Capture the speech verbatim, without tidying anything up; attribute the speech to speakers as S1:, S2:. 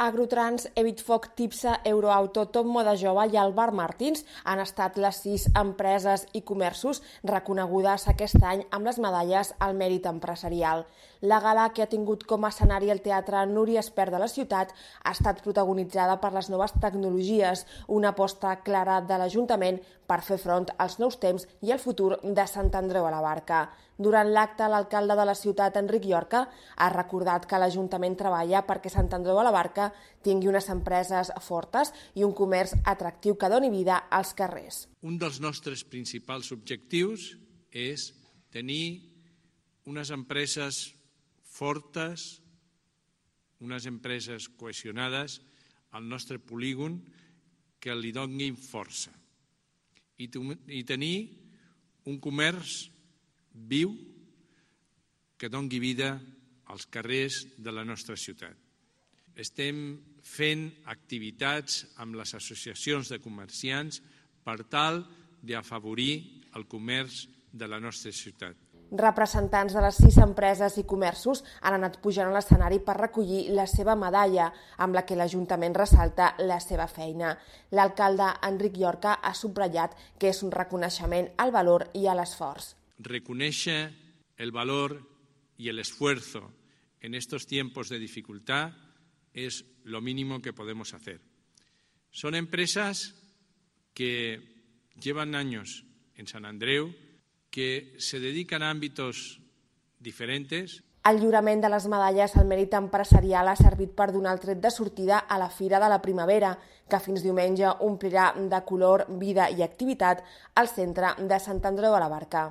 S1: Agrotrans, Evitfoc, Tipsa, Euroauto, Top Moda Jove i el Bar Martins han estat les sis empreses i comerços reconegudes aquest any amb les medalles al mèrit empresarial. La gala, que ha tingut com a escenari el Teatre Núria Espert de la ciutat, ha estat protagonitzada per les noves tecnologies, una aposta clara de l'Ajuntament per fer front als nous temps i al futur de Sant Andreu a la Barca. Durant l'acte, l'alcalde de la ciutat, Enric Llorca, ha recordat que l'Ajuntament treballa perquè Sant Andreu a la Barca tingui unes empreses fortes i un comerç atractiu que doni vida als carrers.
S2: Un dels nostres principals objectius és tenir unes empreses fortes, unes empreses cohesionades al nostre polígon que li donin força i, i tenir un comerç viu que doni vida als carrers de la nostra ciutat. Estem fent activitats amb les associacions de comerciants per tal d'afavorir el comerç de la nostra ciutat.
S1: Representants de les sis empreses i comerços han anat pujant a l'escenari per recollir la seva medalla, amb la que l'Ajuntament ressalta la seva feina. L'alcalde Enric Llorca ha subratllat que és un reconeixement al valor i a l'esforç.
S2: Reconèixer el valor y el esfuerzo en estos tiempos de dificultad es lo mínimo que podemos hacer. Son empresas que llevan años en Sant Andreu, que se dedican a ámbitos diferentes.
S1: El lliurament de les medalles al mèrit empresarial ha servit per donar el tret de sortida a la Fira de la Primavera, que fins diumenge omplirà de color, vida i activitat el centre de Sant Andreu a la Barca.